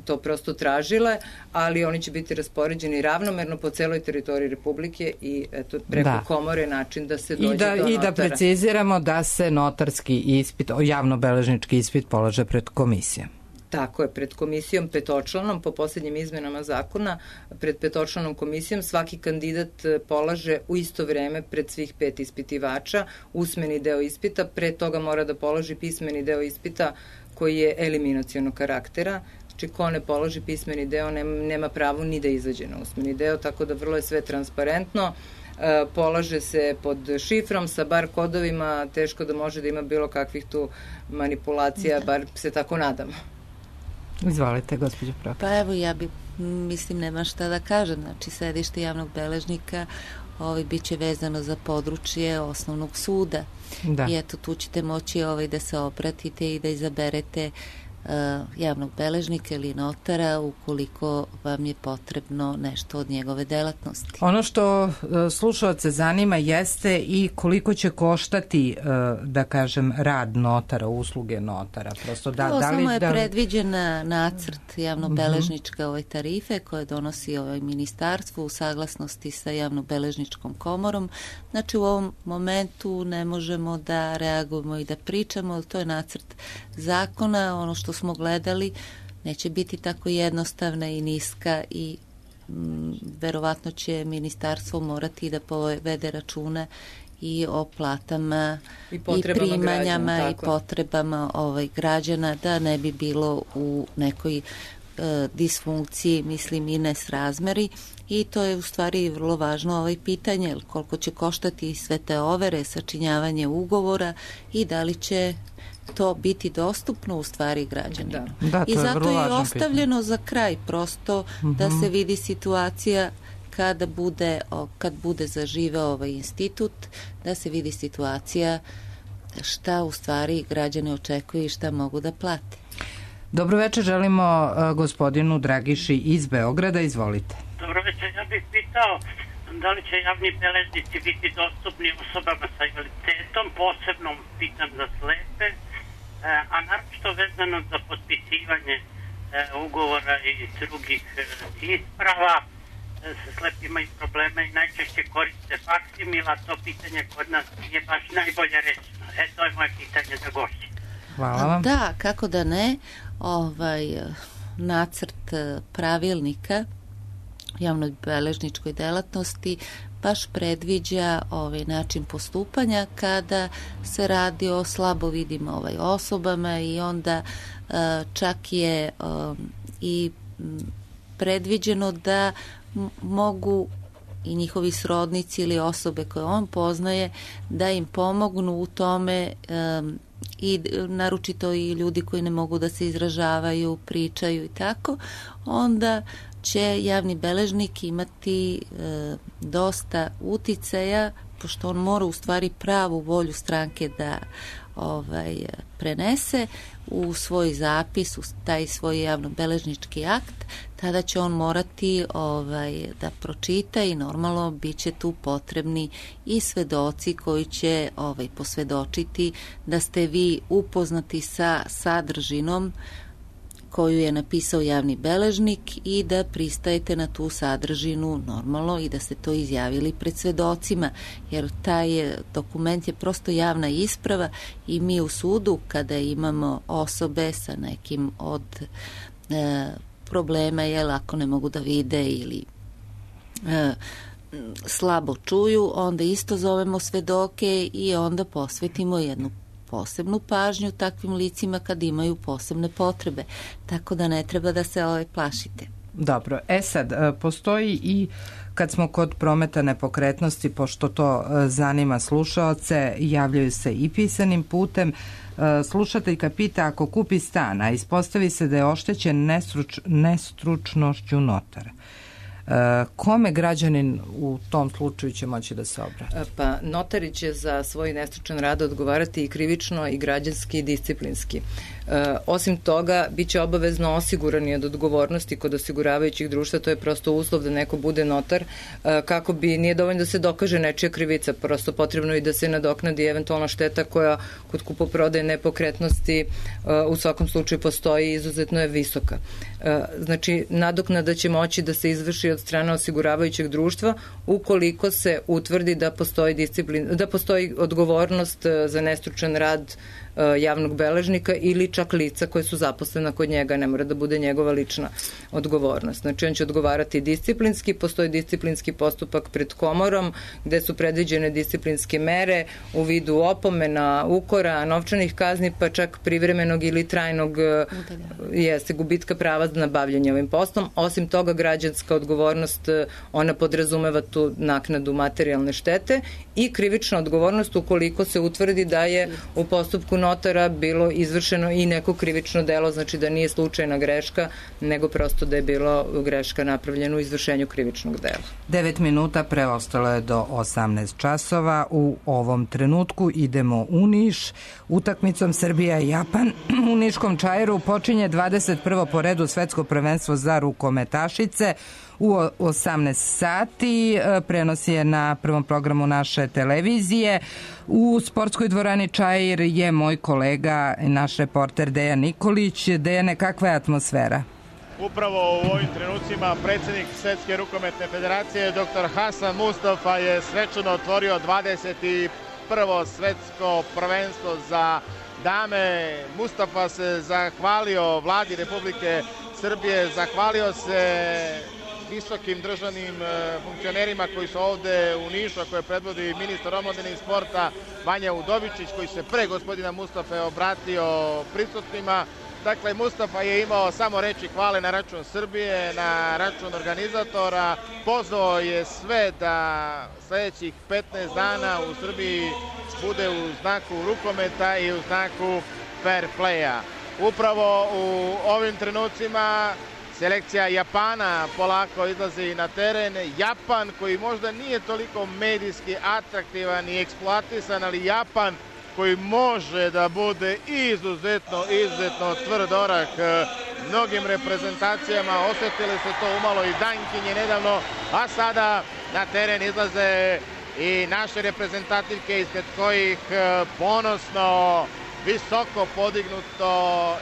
B: to prosto tražile, ali oni će biti raspoređeni ravnomerno po celoj teritoriji Republike i eto, preko
A: da. komore
B: način da se dođe
A: I da,
B: do notara.
A: I da preciziramo da se notarski ispit, javnobeležnički ispit polaže pred komisijom.
B: Tako je, pred komisijom petočlanom, po posljednjim izmenama zakona, pred petočlanom komisijom svaki kandidat polaže u isto vreme pred svih pet ispitivača usmeni deo ispita, pre toga mora da položi pismeni deo ispita koji je eliminacionog karaktera. Znači, ko ne položi pismeni deo nema, nema pravo ni da izađe na usmeni deo, tako da vrlo je sve transparentno. E, polaže se pod šifrom sa bar kodovima, teško da može da ima bilo kakvih tu manipulacija, bar se tako nadamo.
A: Izvolite, gospođo Prokić.
C: Pa evo, ja bi, mislim, nema šta da kažem. Znači, sedište javnog beležnika ovaj, bit će vezano za područje osnovnog suda. Da. I eto, tu ćete moći ovaj, da se obratite i da izaberete uh, javnog beležnika ili notara ukoliko vam je potrebno nešto od njegove delatnosti.
A: Ono što uh, slušalce zanima jeste i koliko će koštati, uh, da kažem, rad notara, usluge notara. Prosto da,
C: to
A: da li,
C: samo je
A: da li...
C: predviđena nacrt javnobeležničke ove tarife koje donosi ovaj ministarstvo u saglasnosti sa javnobeležničkom komorom. Znači, u ovom momentu ne možemo da reagujemo i da pričamo, to je nacrt zakona. Ono što smo gledali neće biti tako jednostavna i niska i m, verovatno će ministarstvo morati da povede račune i o platama i, i primanjama građana, i potrebama ovaj, građana, da ne bi bilo u nekoj e, disfunkciji, mislim, i nesrazmeri. I to je u stvari vrlo važno ovaj pitanje, koliko će koštati sve te overe, sačinjavanje ugovora i da li će to biti dostupno u stvari građanima.
A: Da. Da,
C: I zato je, je ostavljeno pitanje za kraj, prosto uh-huh. da se vidi situacija kada bude, kad bude zaživeo ovaj institut, da se vidi situacija šta u stvari građane očekuju i šta mogu da plate.
A: Dobro večer, želimo uh, gospodinu Dragiši iz Beograda, izvolite.
P: Dobro večer, ja bih pitao da li će javni beležnici biti dostupni osobama sa invaliditetom, posebno pitam za slepe, a naročito vezano za potpisivanje ugovora i drugih isprava. Slepi imaju probleme i najčešće koriste faksimila, to pitanje kod nas nije baš najbolje rečeno. E, to je moje pitanje za gošće.
A: Hvala vam.
C: Da, kako da ne, ovaj nacrt pravilnika javnoj beležničkoj delatnosti baš predviđa ovaj način postupanja kada se radi o slabo vidim ovaj osobama i onda uh, čak je um, i predviđeno da m- mogu i njihovi srodnici ili osobe koje on poznaje da im pomognu u tome, um, i naročito i ljudi koji ne mogu da se izražavaju, pričaju i tako, onda će javni beležnik imati e, dosta uticaja, pošto on mora u stvari pravu volju stranke da ovaj, prenese u svoj zapis, u taj svoj javnobeležnički akt, tada će on morati ovaj, da pročita i normalno bit će tu potrebni i svedoci koji će ovaj, posvedočiti da ste vi upoznati sa sadržinom koju je napisao javni beležnik i da pristajete na tu sadržinu normalno i da ste to izjavili pred svedocima, jer taj dokument je prosto javna isprava i mi u sudu kada imamo osobe sa nekim od e, problema, jel, ako ne mogu da vide ili e, slabo čuju, onda isto zovemo svedoke i onda posvetimo jednu posebnu pažnju takvim licima kad imaju posebne potrebe. Tako da ne treba da se ovaj plašite.
A: Dobro, e sad, postoji i kad smo kod prometa nepokretnosti, pošto to zanima slušaoce, javljaju se i pisanim putem. Slušateljka pita, ako kupi stan, a ispostavi se da je oštećen nestruč, nestručnošću notara, kome građanin u tom slučaju će moći da se obrati?
B: Pa notari će za svoj nestručan rad odgovarati i krivično i građanski i disciplinski. E, osim toga, bit će obavezno osigurani od odgovornosti kod osiguravajućih društva, to je prosto uslov da neko bude notar, e, kako bi, nije dovoljno da se dokaže nečija krivica, prosto potrebno i da se nadoknadi eventualna šteta koja kod kupoprodaje nepokretnosti e, u svakom slučaju postoji i izuzetno je visoka. E, znači, nadoknada će moći da se izvrši od strane osiguravajućeg društva ukoliko se utvrdi da postoji disciplin, da postoji odgovornost za nestručan rad javnog beležnika ili čak lica koje su zaposlena kod njega, ne mora da bude njegova lična odgovornost. Znači on će odgovarati disciplinski, postoji disciplinski postupak pred komorom gde su predviđene disciplinske mere u vidu opomena, ukora, novčanih kazni, pa čak privremenog ili trajnog jeste gubitka prava na bavljanje ovim poslom. Osim toga, građanska odgovornost, ona podrazumeva tu naknadu materijalne štete i krivična odgovornost ukoliko se utvrdi da je u postupku notara bilo izvršeno i neko krivično delo, znači da nije slučajna greška, nego prosto da je bilo greška napravljena u izvršenju krivičnog dela.
A: Devet minuta preostalo je do osamnaest časova. U ovom trenutku idemo u Niš. Utakmicom Srbija i Japan u Niškom Čairu počinje dvadeset prvo po redu svetsko prvenstvo za rukometašice. U osamnaest sati prenos je na prvom programu naše televizije. U sportskoj dvorani Čair je moj kolega, naš reporter Dejan Nikolić. Dejane, kakva je atmosfera?
D: Upravo u ovim trenucima predsjednik Svetske rukometne federacije doktor Hasan Mustafa je svečano otvorio dvadeset prvo svetsko prvenstvo za dame. Mustafa se zahvalio vladi Republike Srbije, zahvalio se visokim državnim funkcionerima koji su ovde u Nišu, a koje predvodi ministar omladine i sporta Vanja Udovičić, koji se pre gospodina Mustafe obratio prisutnima. Dakle, Mustafa je imao samo reči hvale na račun Srbije, na račun organizatora. Pozvao je sve da sledećih petnaest dana u Srbiji bude u znaku rukometa i u znaku fair playa. Upravo u ovim trenucima selekcija Japana polako izlazi na teren. Japan koji možda nije toliko medijski atraktivan i eksploatisan, ali Japan koji može da bude izuzetno, izuzetno tvrd orah mnogim reprezentacijama. Osetili se to umalo i Dankinje nedavno, a sada na teren izlaze i naše reprezentativke ispred kojih ponosno, visoko podignuto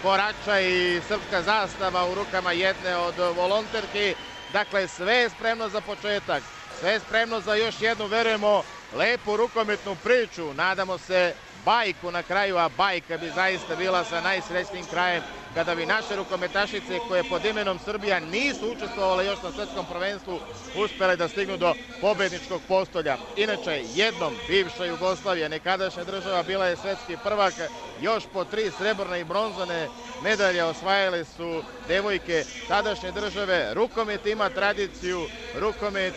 D: korača i srpska zastava u rukama jedne od volonterki. Dakle, sve je spremno za početak, sve je spremno za još jednu, verujemo, lepu rukometnu priču. Nadamo se bajku na kraju, a bajka bi zaista bila sa najsrećnijim krajem kada bi naše rukometašice koje pod imenom Srbija nisu učestvovale još na svetskom prvenstvu uspele da stignu do pobedničkog postolja. Inače, jednom bivša Jugoslavija, nekadašnja država, bila je svetski prvak, još po tri srebrne i bronzane medalje osvajale su devojke tadašnje države. Rukomet ima tradiciju, rukomet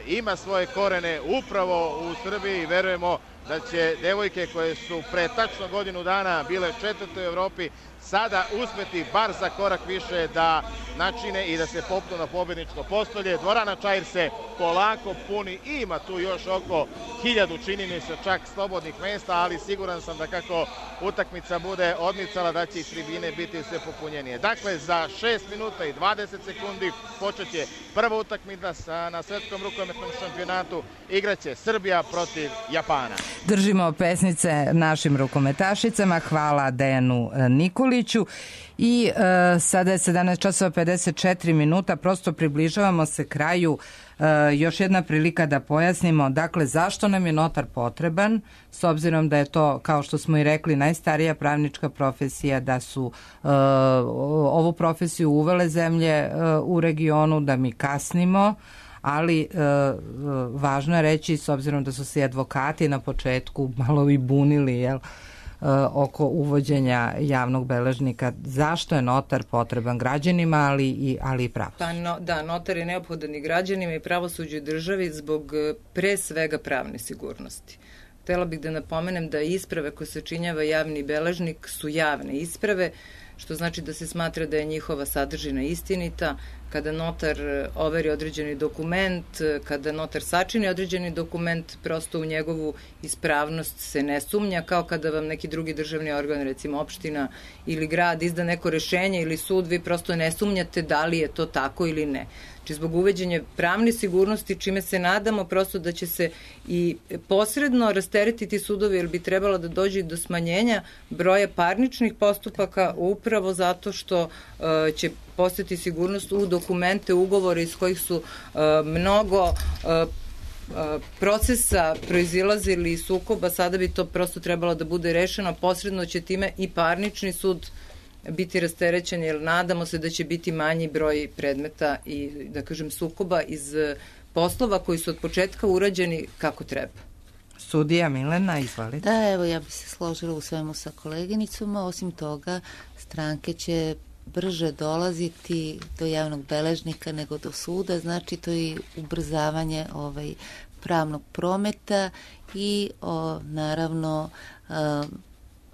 D: ima svoje korene upravo u Srbiji. Verujemo da će devojke koje su pre tačno godinu dana bile četvrte u Evropi sada uspeti bar za korak više da načine i da se popnu na pobedničko postolje. Dvorana Čair se polako puni, ima tu još oko hiljadu, čini mi se, čak slobodnih mesta, ali siguran sam da kako utakmica bude odmicala da će i tribine biti sve popunjenije. Dakle, za šest minuta i dvadeset sekundi počet će prva utakmica na svetskom rukometnom šampionatu. Igraće Srbija protiv Japana.
A: Držimo pesnice našim rukometašicama. Hvala Dejanu Nikoliću. I e, sada je sedamnaest časova pedeset četiri minuta, prosto približavamo se kraju. E, još jedna prilika da pojasnimo, dakle, zašto nam je notar potreban, s obzirom da je to, kao što smo i rekli, najstarija pravnička profesija, da su e, ovu profesiju uvele zemlje e, u regionu, da mi kasnimo, ali e, važno je reći, s obzirom da su se advokati na početku malo i bunili, jel, oko uvođenja javnog beležnika, zašto je notar potreban građanima, ali i, ali i pravosuđu?
B: Pa no, da, notar je neophodan i građanima i pravosuđu i državi zbog pre svega pravne sigurnosti. Htela bih da napomenem da isprave koje sačinjava javni beležnik su javne isprave, što znači da se smatra da je njihova sadržina istinita. Kada notar overi određeni dokument, kada notar sačini određeni dokument, prosto u njegovu ispravnost se ne sumnja, kao kada vam neki drugi državni organ, recimo opština ili grad, izda neko rešenje ili sud, vi prosto ne sumnjate da li je to tako ili ne. Znači, zbog uveđenja pravne sigurnosti, čime se nadamo prosto da će se i posredno rasteretiti sudovi, jer bi trebalo da dođe do smanjenja broja parničnih postupaka upravo zato što uh, će postati sigurnost u dokumente, ugovore iz kojih su uh, mnogo uh, procesa proizilazili iz sukoba, sada bi to prosto trebalo da bude rešeno, posredno će time i parnični sud biti rasterećen, jer nadamo se da će biti manji broj predmeta i, da kažem, sukoba iz poslova koji su od početka urađeni kako treba.
A: Sudija Milena, izvolite.
C: Da, evo, ja bih se složila u svemu sa koleginicom, osim toga stranke će brže dolaziti do javnog beležnika nego do suda, znači to je ubrzavanje ovaj, pravnog prometa i o, naravno a,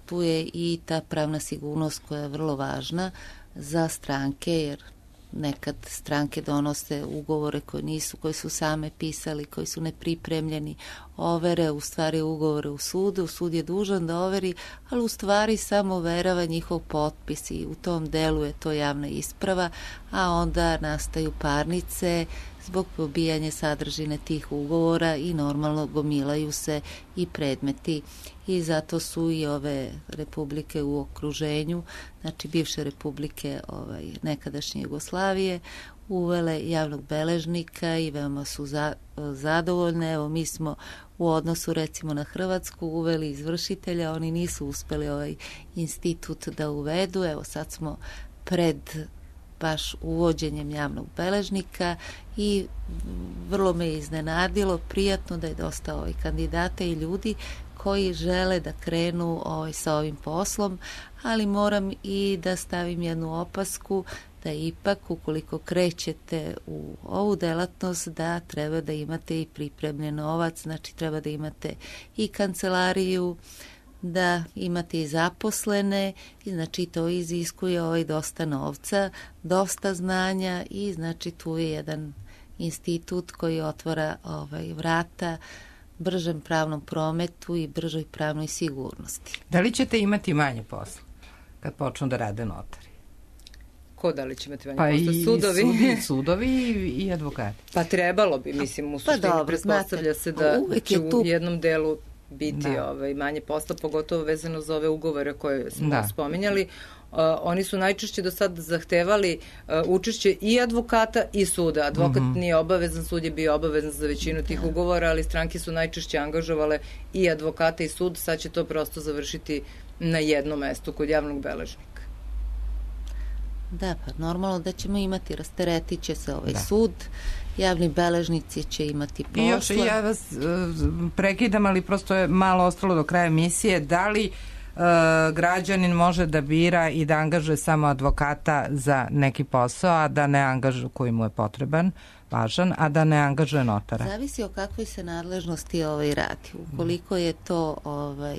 C: tu je i ta pravna sigurnost koja je vrlo važna za stranke, jer nekad stranke donose ugovore koje nisu, koje su same pisali, koji su nepripremljeni, overe u stvari ugovore u sudu, sud je dužan da overi, ali u stvari samo overava njihov potpis i u tom delu je to javna isprava, a onda nastaju parnice zbog pobijanja sadržine tih ugovora i normalno gomilaju se i predmeti i zato su i ove republike u okruženju, znači bivše republike ovaj, nekadašnje Jugoslavije, uvele javnog beležnika i veoma su za, zadovoljne. Evo, mi smo u odnosu recimo na Hrvatsku uveli izvršitelja, oni nisu uspeli ovaj institut da uvedu, evo sad smo pred baš uvođenjem javnog beležnika i vrlo me iznenadilo, prijatno da je dosta ovaj kandidata i ljudi koji žele da krenu ovaj, sa ovim poslom, ali moram i da stavim jednu opasku da ipak ukoliko krećete u ovu delatnost da treba da imate i pripremljen novac, znači treba da imate i kancelariju, da imate i zaposlene i znači to iziskuje ovaj dosta novca, dosta znanja i znači tu je jedan institut koji otvara ovaj vrata bržem pravnom prometu i bržoj pravnoj sigurnosti.
A: Da li ćete imati manje posla kad počnu da rade notari?
B: Ko da li će imati manje
A: pa
B: posla?
A: I
B: sudovi?
A: Sudi, sudovi i advokati.
B: Pa trebalo bi, mislim, u suštini pa dobro, pretpostavlja se da će u tu... jednom delu biti da. ovaj, manje posla, pogotovo vezano za ove ugovore koje smo da. spominjali. Uh, oni su najčešće do sad zahtevali uh, učešće i advokata i suda. Advokat mm-hmm. nije obavezan, sud je bio obavezan za većinu tih ugovora, ali stranke su najčešće angažovale i advokata i sud. Sad će to prosto završiti na jednom mestu kod javnog beležnika.
C: Da, pa normalno da ćemo imati, rasteretit će se ovaj da. sud, javni beležnici će imati posla.
A: I još ja vas uh, prekidam, ali prosto je malo ostalo do kraja emisije. Da li uh, građanin može da bira i da angažuje samo advokata za neki posao, a da ne angažuje koji mu je potreban, važan, a da ne angažuje notara?
C: Zavisi o kakvoj se nadležnosti ovaj radi. Ukoliko je to ovaj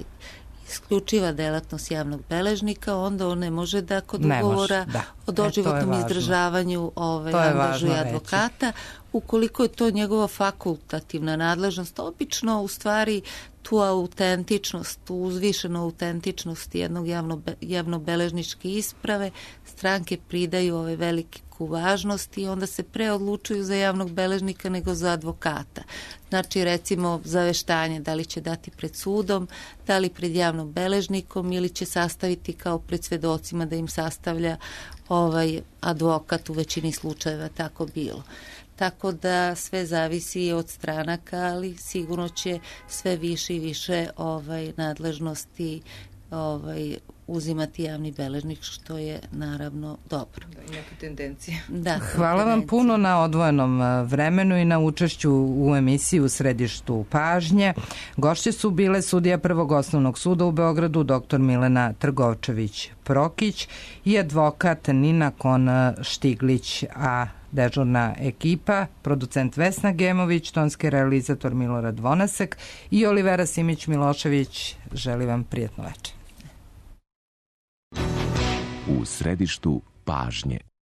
C: isključiva delatnost javnog beležnika, onda on ne može da kod ne ugovora može, da. o doživotnom e, izdržavanju ovaj, angažuje advokata. Reći. Ukoliko je to njegova fakultativna nadležnost, obično u stvari tu autentičnost, tu uzvišenu autentičnost jednog javno, javnobeležničke isprave stranke pridaju ove veliku važnost i onda se pre odlučuju za javnog beležnika nego za advokata. Znači, recimo, zaveštanje da li će dati pred sudom, da li pred javnom beležnikom ili će sastaviti kao pred svedocima da im sastavlja ovaj advokat, u većini slučajeva tako bilo. Tako da sve zavisi od stranaka, ali sigurno će sve više i više ovaj nadležnosti ovaj uzimati javni beležnik, što je naravno dobro.
B: Da, i neke tendencije.
C: Da,
A: hvala vam puno na odvojenom vremenu i na učešću u emisiji U središtu pažnje. Gošće su bile sudija Prvog osnovnog suda u Beogradu, doktor Milena Trgovčević-Prokić i advokat Nina Kon-Štiglić, a dežurna ekipa, producent Vesna Gemović, tonski realizator Milorad Vonasek i Olivera Simić-Milošević. Želim vam prijatno večer.
Q: U središtu pažnje.